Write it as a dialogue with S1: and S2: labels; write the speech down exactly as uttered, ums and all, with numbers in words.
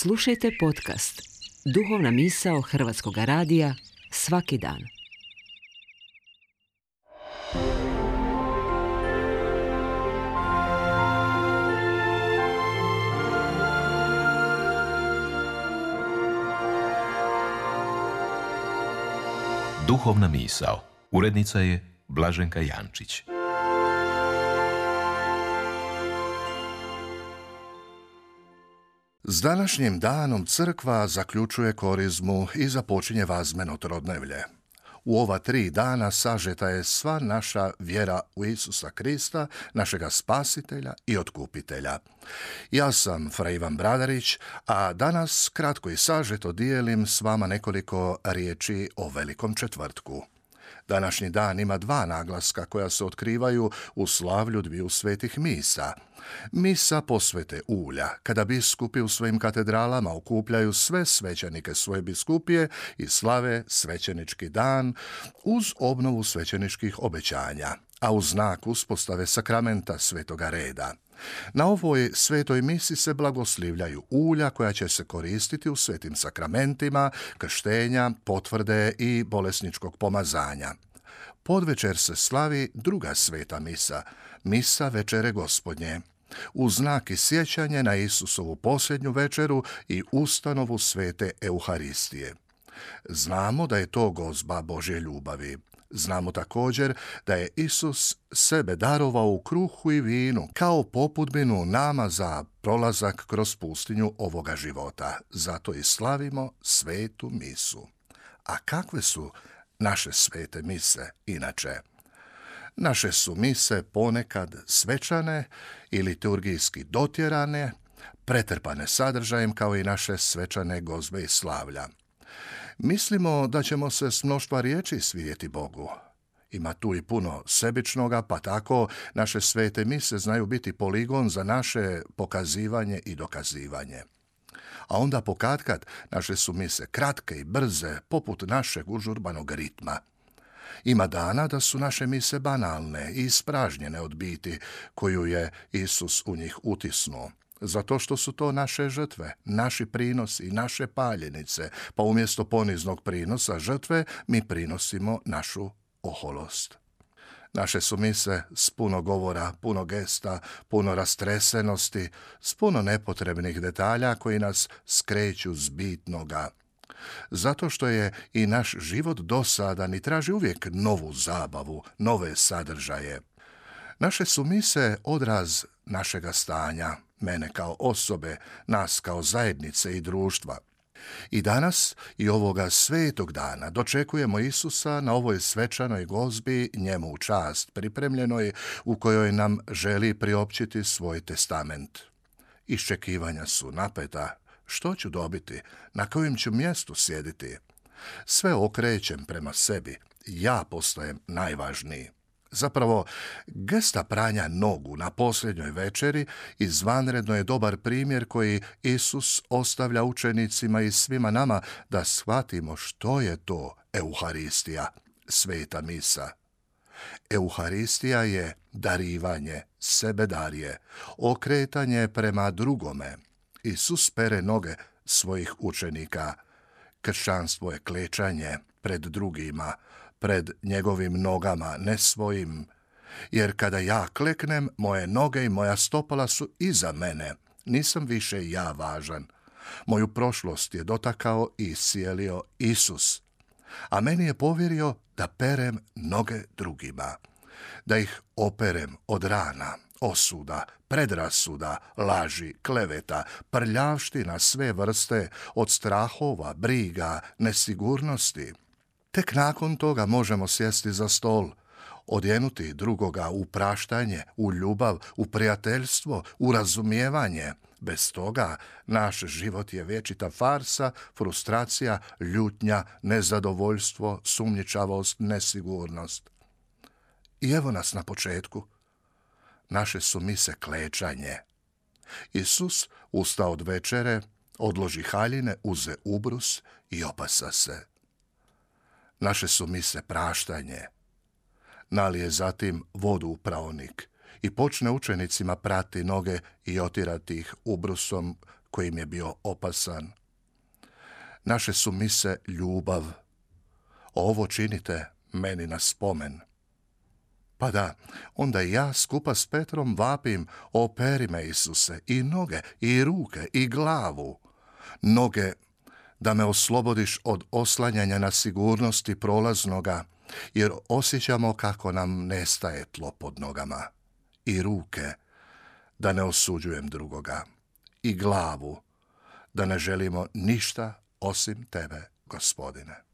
S1: Slušajte podcast Duhovna misao Hrvatskog radija svaki dan.
S2: Duhovna misao. Urednica je Blaženka Jančić.
S3: S današnjim danom crkva zaključuje korizmu i započinje vazmeno trodnevlje. U ova tri dana sažeta je sva naša vjera u Isusa Krista, našega spasitelja i otkupitelja. Ja sam fra Ivan Bradarić, a danas kratko i sažeto dijelim s vama nekoliko riječi o Velikom četvrtku. Današnji dan ima dva naglaska koja se otkrivaju u slavlju dviju svetih misa. Misa posvete ulja, kada biskupi u svojim katedralama okupljaju sve svećenike svoje biskupije i slave svećenički dan uz obnovu svećeničkih obećanja, a uz znak uspostave sakramenta svetoga reda. Na ovoj svetoj misi se blagoslivljaju ulja koja će se koristiti u svetim sakramentima, krštenja, potvrde i bolesničkog pomazanja. Podvečer se slavi druga sveta misa, misa večere Gospodnje, u znak i sjećanje na Isusovu posljednju večeru i ustanovu svete Euharistije. Znamo da je to gozba Božje ljubavi. Znamo također da je Isus sebe darovao u kruhu i vinu kao popudbinu nama za prolazak kroz pustinju ovoga života. Zato i slavimo svetu misu. A kakve su naše svete mise inače? Naše su mise ponekad svečane i liturgijski dotjerane, pretrpane sadržajem kao i naše svečane gozbe i slavlja. Mislimo da ćemo se s mnoštva riječi svidjeti Bogu. Ima tu i puno sebičnoga, pa tako naše svete mise znaju biti poligon za naše pokazivanje i dokazivanje. A onda pokatkad naše su mise kratke i brze, poput našeg užurbanog ritma. Ima dana da su naše mise banalne i ispražnjene od biti koju je Isus u njih utisnuo. Zato što su to naše žrtve, naši prinosi, naše paljenice, pa umjesto poniznog prinosa žrtve mi prinosimo našu oholost. Naše su mise s puno govora, puno gesta, puno rastresenosti, s puno nepotrebnih detalja koji nas skreću s bitnoga. Zato što je i naš život dosadan i traži uvijek novu zabavu, nove sadržaje. Naše su mise odraz našega stanja, mene kao osobe, nas kao zajednice i društva. I danas i ovoga svetog dana dočekujemo Isusa na ovoj svečanoj gozbi njemu u čast pripremljenoj u kojoj nam želi priopćiti svoj testament. Iščekivanja su napeta. Što ću dobiti? Na kojem ću mjestu sjediti? Sve okrećem prema sebi. Ja postajem najvažniji. Zapravo, gesta pranja nogu na posljednjoj večeri izvanredno je dobar primjer koji Isus ostavlja učenicima i svima nama da shvatimo što je to Euharistija, sveta misa. Euharistija je darivanje, sebedarje, okretanje prema drugome. Isus pere noge svojih učenika. Kršćanstvo je klečanje pred drugima, pred njegovim nogama, ne svojim. Jer kada ja kleknem, moje noge i moja stopala su iza mene. Nisam više ja važan. Moju prošlost je dotakao i iscijelio Isus. A meni je povjerio da perem noge drugima. Da ih operem od rana, osuda, predrasuda, laži, kleveta, prljavština sve vrste, od strahova, briga, nesigurnosti. Tek nakon toga možemo sjesti za stol, odjenuti drugoga u praštanje, u ljubav, u prijateljstvo, u razumijevanje. Bez toga naš život je vječita farsa, frustracija, ljutnja, nezadovoljstvo, sumnjičavost, nesigurnost. I evo nas na početku. Naše su mise klečanje. Isus usta od večere, odloži haljine, uze ubrus i opasa se. Naše su mise praštanje. Nalije zatim vodu u praonik i počne učenicima prati noge i otirati ih ubrusom koji im je bio opasan. Naše su mise ljubav. Ovo činite meni na spomen. Pa da, onda i ja skupa s Petrom vapim, operi me, Isuse, i noge, i ruke, i glavu. Noge, da me oslobodiš od oslanjanja na sigurnosti prolaznoga, jer osjećamo kako nam nestaje tlo pod nogama. I ruke, da ne osuđujem drugoga. I glavu, da ne želimo ništa osim tebe, Gospodine.